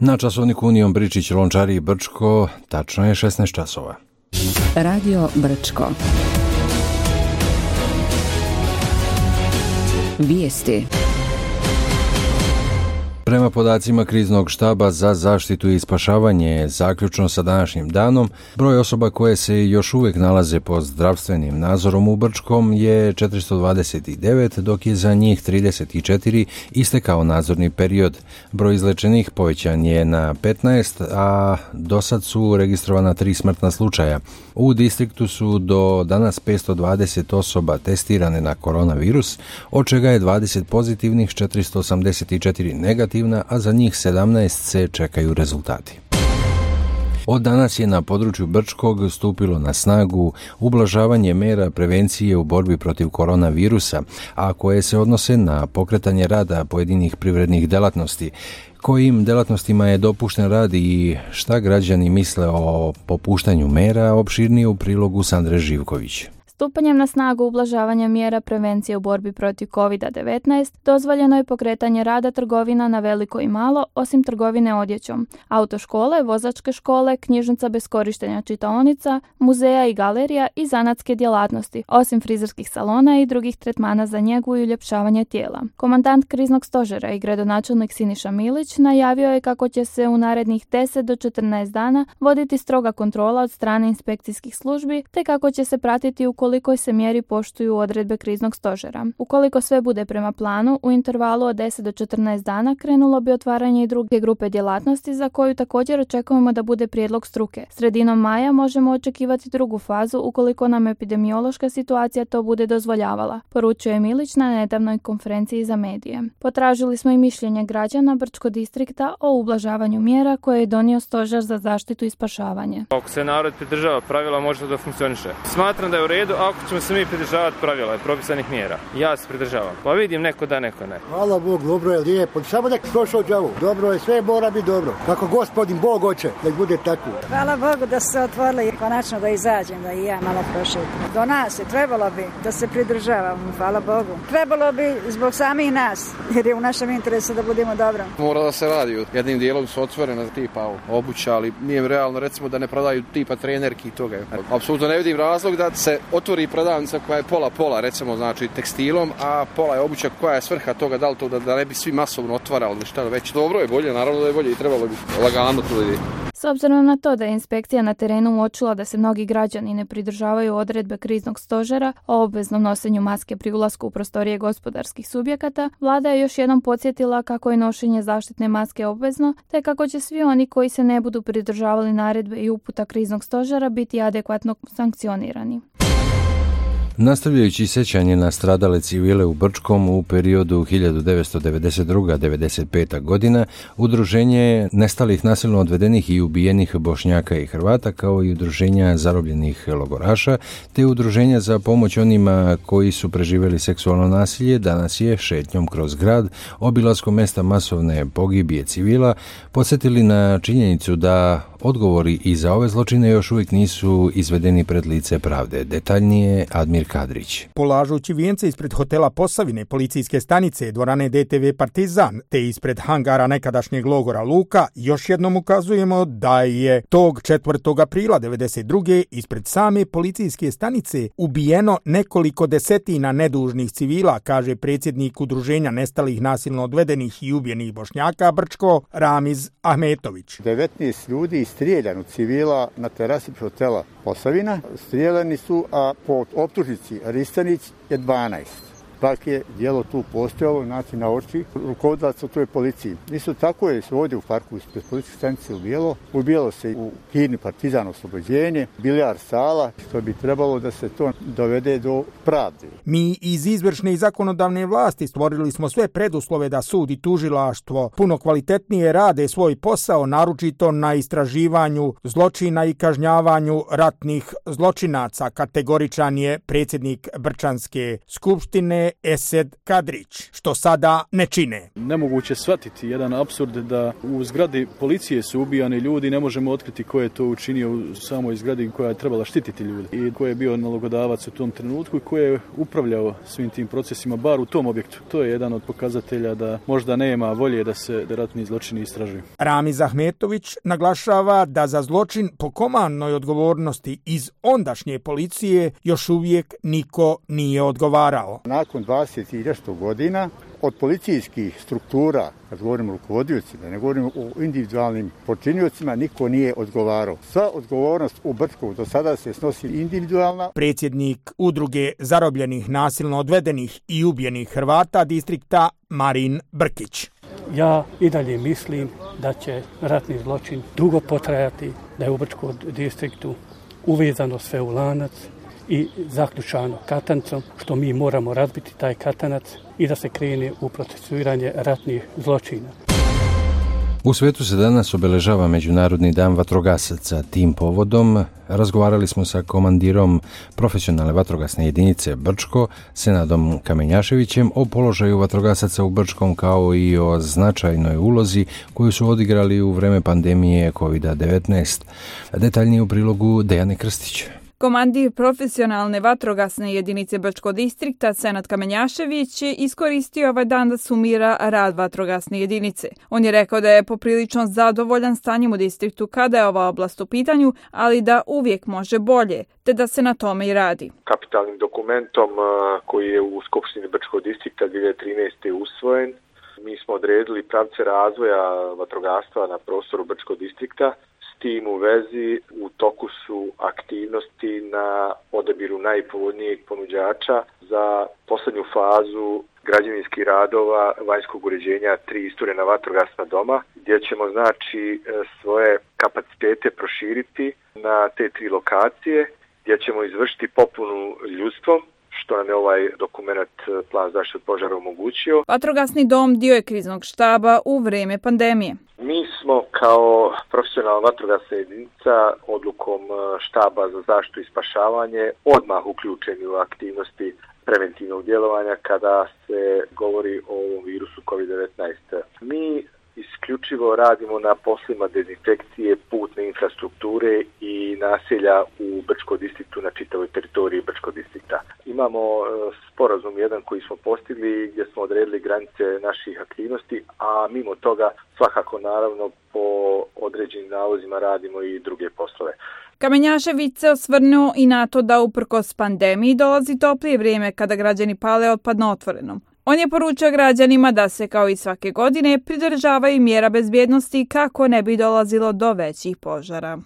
Na časovniku Union Bričić, Lončari i Brčko, tačno je 16 časova. Radio Brčko. Vijesti. Prema podacima kriznog štaba za zaštitu i spašavanje, zaključno sa današnjim danom, broj osoba koje se još uvijek nalaze pod zdravstvenim nadzorom u Brčkom je 429, dok je za njih 34 istekao nadzorni period. Broj izlečenih povećan je na 15, a do sad su registrovana 3 smrtna slučaja. U distriktu su do danas 520 osoba testirane na koronavirus, od čega je 20 pozitivnih, 484 negativnih, a za njih 17 se čekaju rezultati. Od danas je na području Brčkog stupilo na snagu ublažavanje mera prevencije u borbi protiv koronavirusa, a koje se odnose na pokretanje rada pojedinih privrednih delatnosti. Kojim delatnostima je dopušten rad i šta građani misle o popuštanju mera, opširnije u prilogu Sandre Živković. Stupanjem na snagu ublažavanja mjera prevencije u borbi protiv COVID-19 dozvoljeno je pokretanje rada trgovina na veliko i malo, osim trgovine odjećom, autoškole, vozačke škole, knjižnica bez korištenja čitaonica, muzeja i galerija i zanatske djelatnosti, osim frizerskih salona i drugih tretmana za njegu i uljepšavanje tijela. Komandant kriznog stožera i gradonačelnik Siniša Milić najavio je kako će se u narednih 10 do 14 dana voditi stroga kontrola od strane inspekcijskih službi, te kako će se pratiti ukoliko se mjeri poštuju odredbe kriznog stožera. Ukoliko sve bude prema planu, u intervalu od 10 do 14 dana krenulo bi otvaranje i druge grupe djelatnosti za koju također očekujemo da bude prijedlog struke. Sredinom maja možemo očekivati drugu fazu ukoliko nam epidemiološka situacija to bude dozvoljavala, poručuje Milić na nedavnoj konferenciji za medije. Potražili smo i mišljenje građana Brčko distrikta o ublažavanju mjera koje je donio stožer za zaštitu i spašavanje. Ako se narod pridržava pravila, može da funkcioniše. Smatram da je u redu ako ćemo se mi pridržavati pravila i propisanih mjera. Ja se pridržavam. Pa vidim neko da, neko ne. Hvala Bog, dobro je, lijepo. Samo nek prošao džavu. Dobro je, sve mora biti dobro. Kako gospodin Bog hoće, nek bude tako. Hvala Bogu da se otvorili konačno da izađem, da i ja malo prošetam. Do nas je trebalo bi da se pridržavamo, hvala Bogu. Trebalo bi zbog samih nas, jer je u našem interesu da budemo dobro. Mora da se radi. Jednim dijelom su otvorene tipa obuća, ali nije realno recimo da ne prodaju tipa trenerki i toga. Apsolutno ne vidim razlog da se otvori prodavnica koja je pola, recimo, znači tekstilom, a pola je obuća. Koja je svrha toga, da li to da ne bi svi masovno otvarali ili šta već. Dobro je, bolje, naravno da je bolje i trebalo bi lagano to ide. S obzirom na to da je inspekcija na terenu uočila da se mnogi građani ne pridržavaju odredbe kriznog stožera o obveznom nošenju maske pri ulasku u prostorije gospodarskih subjekata, vlada je još jednom podsjetila kako je nošenje zaštitne maske obvezno, te kako će svi oni koji se ne budu pridržavali naredbe i uputa kriznog stožera biti adekvatno sankcionirani. Nastavljajući sjećanje na stradale civile u Brčkom u periodu 1992-1995. godina, udruženje nestalih nasilno odvedenih i ubijenih Bošnjaka i Hrvata, kao i udruženja zarobljenih logoraša, te udruženja za pomoć onima koji su preživjeli seksualno nasilje, danas je šetnjom kroz grad, obilaskom mjesta masovne pogibije civila, podsjetili na činjenicu da odgovori i za ove zločine još uvijek nisu izvedeni pred lice pravde. Detaljnije Admir Kadrić. Polažući vijence ispred hotela Posavine, policijske stanice, dvorane DTV Partizan, te ispred hangara nekadašnjeg logora Luka, još jednom ukazujemo da je tog 4. aprila 1992. ispred same policijske stanice ubijeno nekoliko desetina nedužnih civila, kaže predsjednik udruženja nestalih nasilno odvedenih i ubijenih Bošnjaka Brčko, Ramiz Ahmetović. 19 ljudi strijeljano civila na terasi hotela Posavina. Strijeljani su, a po optužnici Ristanić je 12. Pak je djelo tu postojalo, znači na oči rukovodilaca u toj policiji. Isto tako je se ovdje u parku ispred policijske stanice ubijalo se u Kirni Partizan oslobođenje, bilijar sala, što bi trebalo da se to dovede do pravde. Mi iz izvršne i zakonodavne vlasti stvorili smo sve preduslove da sud i tužilaštvo puno kvalitetnije rade svoj posao, naročito na istraživanju zločina i kažnjavanju ratnih zločinaca, kategoričan je predsjednik Brčanske skupštine je Esed Kadrić, što sada ne čine. Nemoguće shvatiti jedan apsurd da u zgradi policije su ubijani ljudi, ne možemo otkriti ko je to učinio u samoj zgradi koja je trebala štititi ljudi i ko je bio nalogodavac u tom trenutku i ko je upravljao svim tim procesima, bar u tom objektu. To je jedan od pokazatelja da možda nema volje da se ratni zločini istražuju. Ramiz Ahmetović naglašava da za zločin po komandnoj odgovornosti iz ondašnje policije još uvijek niko nije odgovarao. Nakon 20 i nešto godina od policijskih struktura, kad govorimo o rukovodiocima, ne govorimo o individualnim počiniocima, niko nije odgovarao. Sva odgovornost u Brčkom do sada se snosi individualna. Predsjednik udruge zarobljenih, nasilno odvedenih i ubijenih Hrvata distrikta Marin Brkić. Ja i dalje mislim da će ratni zločin dugo potrajati, da je u Brčkom distriktu uvezano sve u lanac i zaključano katancom, što mi moramo razbiti taj katanac i da se krene u procesuiranje ratnih zločina. U svijetu se danas obeležava Međunarodni dan vatrogasaca. Tim povodom razgovarali smo sa komandirom profesionalne vatrogasne jedinice Brčko, Senadom Kamenjaševićem, o položaju vatrogasaca u Brčkom kao i o značajnoj ulozi koju su odigrali u vreme pandemije COVID-19. Detaljnije u prilogu Dejane Krstić. Komandir profesionalne vatrogasne jedinice Brčkog distrikta Senad Kamenjašević je iskoristio ovaj dan da sumira rad vatrogasne jedinice. On je rekao da je poprilično zadovoljan stanjem u distriktu kada je ova oblast u pitanju, ali da uvijek može bolje, te da se na tome i radi. Kapitalnim dokumentom koji je u Skupštini Brčkog distrikta 2013. usvojen, mi smo odredili pravce razvoja vatrogastva na prostoru Brčkog distrikta. S tim u vezi u toku su aktivnosti na odabiru najpovoljnijeg ponuđača za posljednju fazu građevinskih radova vanjskog uređenja 3 isturena vatrogasna doma, gdje ćemo znači svoje kapacitete proširiti na te 3 lokacije, gdje ćemo izvršiti popunu ljudstvom, što nam je ovaj dokument plan zaštite od požara omogućio. Vatrogasni dom dio je kriznog štaba u vrijeme pandemije. Mi smo kao profesionalna vatrogasna jedinica odlukom štaba za zaštitu i spašavanje odmah uključeni u aktivnosti preventivnog djelovanja kada se govori o ovom virusu COVID-19. Mi isključivo radimo na poslima dezinfekcije putne infrastrukture i naselja u Brčkom distriktu na čitavoj teritoriji Brčkog distrikta. Imamo sporazum jedan koji smo postigli gdje smo odredili granice naših aktivnosti, a mimo toga svakako naravno po određenim nalozima radimo i druge poslove. Kamenjašević se osvrnuo i na to da uprkos pandemiji dolazi toplije vrijeme kada građani pale otpad na otvorenom. On je poručio građanima da se kao i svake godine pridržavaju mjera bezbjednosti kako ne bi dolazilo do većih požara.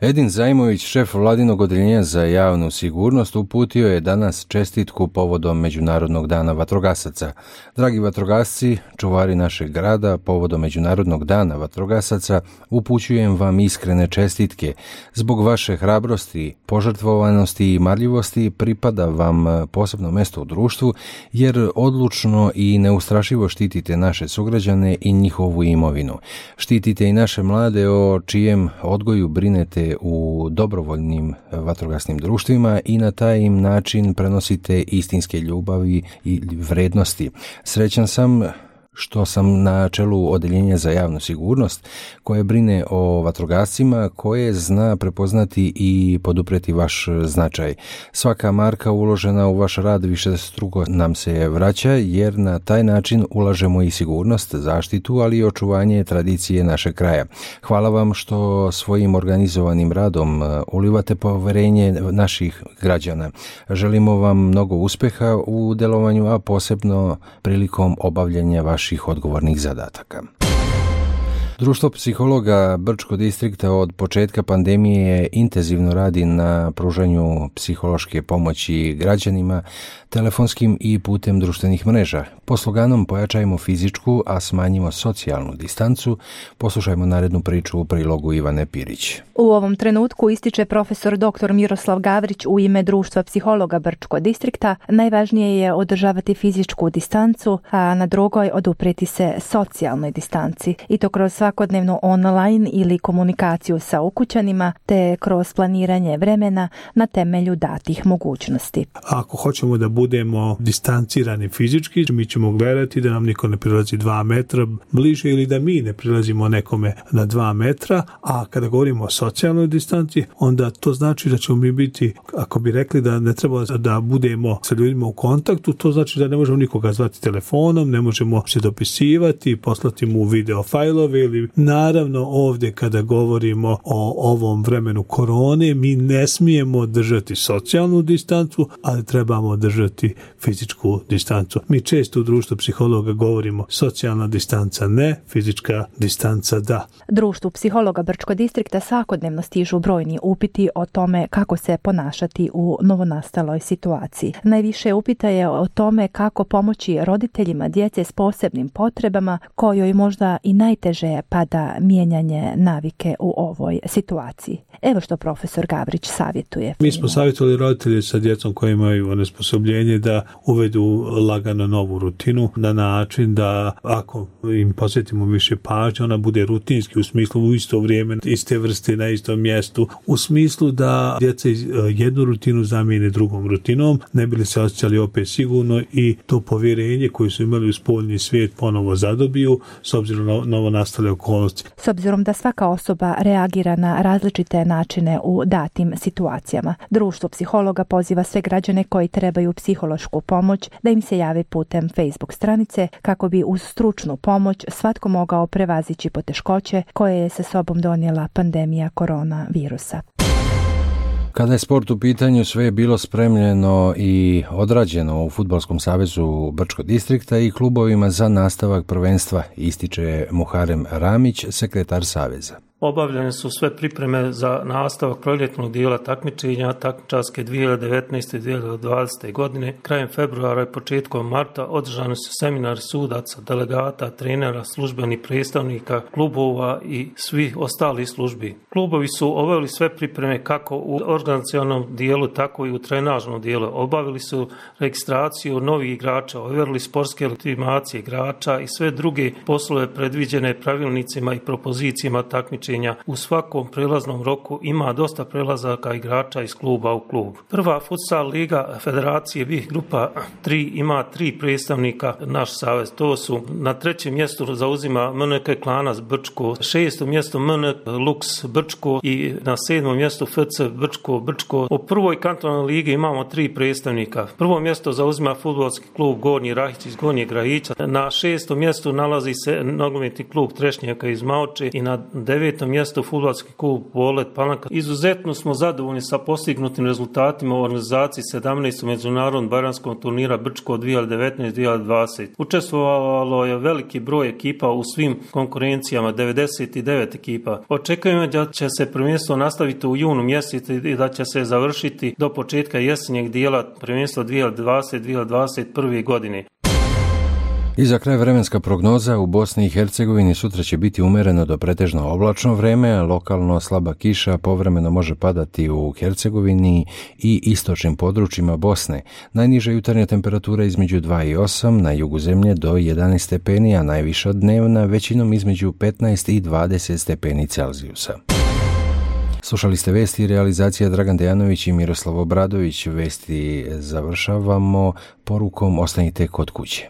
Edin Zajmović, šef vladinog odeljenja za javnu sigurnost, uputio je danas čestitku povodom Međunarodnog dana vatrogasaca. Dragi vatrogasci, čuvari našeg grada, povodom Međunarodnog dana vatrogasaca, upućujem vam iskrene čestitke. Zbog vaše hrabrosti, požrtvovanosti i marljivosti pripada vam posebno mjesto u društvu, jer odlučno i neustrašivo štitite naše sugrađane i njihovu imovinu. Štitite i naše mlade o čijem odgoju brinete u dobrovoljnim vatrogasnim društvima i na taj im način prenosite istinske ljubavi i vrednosti. Srećan sam što sam na čelu odeljenja za javnu sigurnost koje brine o vatrogascima, koje zna prepoznati i podupreti vaš značaj. Svaka marka uložena u vaš rad višestruko nam se vraća, jer na taj način ulažemo i sigurnost, zaštitu, ali i očuvanje tradicije našeg kraja. Hvala vam što svojim organizovanim radom ulivate poverenje naših građana. Želimo vam mnogo uspjeha u delovanju, a posebno prilikom obavljanja vaših odgovornih zadataka. Društvo psihologa Brčkog distrikta od početka pandemije intenzivno radi na pružanju psihološke pomoći građanima telefonskim i putem društvenih mreža. Po sloganom Pojačajmo fizičku, a smanjimo socijalnu distancu, poslušajmo narednu priču u prilogu Ivane Pirić. U ovom trenutku, ističe profesor dr. Miroslav Gavrić u ime Društva psihologa Brčkog distrikta, najvažnije je održavati fizičku distancu, a na drugoj oduprijeti se socijalnoj distanci, i to kroz svakodnevne svakodnevnu online ili komunikaciju sa ukućanima te kroz planiranje vremena na temelju datih mogućnosti. Ako hoćemo da budemo distancirani fizički, mi ćemo gledati da nam niko ne prilazi 2 metra bliže ili da mi ne prilazimo nekome na 2 metra, a kada govorimo o socijalnoj distanci, onda to znači da ćemo mi biti, ako bi rekli da ne treba da budemo sa ljudima u kontaktu, to znači da ne možemo nikoga zvati telefonom, ne možemo se dopisivati, poslati mu video fajlove ili naravno ovdje kada govorimo o ovom vremenu korone, mi ne smijemo držati socijalnu distancu, ali trebamo držati fizičku distancu. Mi često u društvu psihologa govorimo socijalna distanca ne, fizička distanca da. Društvu psihologa Brčko distrikta svakodnevno stižu brojni upiti o tome kako se ponašati u novonastaloj situaciji. Najviše upita je o tome kako pomoći roditeljima djece s posebnim potrebama kojoj možda i najteže pada mijenjanje navike u ovoj situaciji. Evo što profesor Gavrić savjetuje. Mi smo savjetovali roditelje sa djecom koji imaju onesposobljenje da uvedu lagano novu rutinu na način da ako im posvetimo više pažnje, ona bude rutinski u smislu u isto vrijeme, iste vrste na istom mjestu, u smislu da djeca jednu rutinu zamijene drugom rutinom, ne bi li se osjećali opet sigurno i to povjerenje koje su imali u spoljni svijet ponovo zadobiju s obzirom na novonastale okolnosti. S obzirom da svaka osoba reagira na različite načine u datim situacijama, društvo psihologa poziva sve građane koji trebaju psihološku pomoć da im se jave putem Facebook stranice kako bi uz stručnu pomoć svatko mogao prevazići poteškoće koje je sa sobom donijela pandemija koronavirusa. Kada je sport u pitanju, sve je bilo spremljeno i odrađeno u Fudbalskom savezu Brčko distrikta i klubovima za nastavak prvenstva, ističe Muharem Ramić, sekretar saveza. Obavljene su sve pripreme za nastavak proljetnog dijela takmičenja takmičarske 2019. i 2020. godine. Krajem februara i početkom marta održani su seminari sudaca, delegata, trenera, službenih predstavnika, klubova i svih ostalih službi. Klubovi su obavili sve pripreme kako u organizacionalnom dijelu, tako i u trenažnom dijelu. Obavili su registraciju novih igrača, ovjerili sportske legitimacije igrača i sve druge poslove predviđene pravilnicima i propozicijama takmičenja. U svakom prelaznom roku ima dosta prelazaka igrača iz kluba u klub. Prva futsal liga Federacije BiH grupa 3 ima 3 predstavnika naš savez. To su na 3. mjestu zauzima MNK Klanac Brčko, 6. mjestu MNK Lux Brčko i na 7. mjestu FC Brčko. U prvoj kantonalnoj ligi imamo 3 predstavnika. Prvo mjesto zauzima fudbalski klub Gornji Rahić iz Gornjeg Rahića. Na 6. mjestu nalazi se nogometni klub Trešnjaka iz Maoče i na 9. mjesto fudbalski klub Polet Palanka. Izuzetno smo zadovoljni sa postignutim rezultatima u organizaciji 17. međunarodnog bajramskog turnira Brčko 2019-2020. Učestvovalo je veliki broj ekipa u svim konkurencijama, 99 ekipa. Očekujemo da će se prvenstvo nastaviti u junu mjesecu i da će se završiti do početka jesenjeg dijela prvenstva 2020-2021. godine. I za kraj vremenska prognoza u Bosni i Hercegovini sutra će biti umjereno do pretežno oblačno vreme, lokalno slaba kiša povremeno može padati u Hercegovini i istočnim područjima Bosne. Najniža jutarnja temperatura između 2 i 8, na jugu zemlje do 11 stepeni, a najviša dnevna većinom između 15 i 20 stepeni Celzijusa. Slušali ste vesti i realizacija Dragan Dejanović i Miroslav Obradović. Vesti završavamo porukom ostanite kod kuće.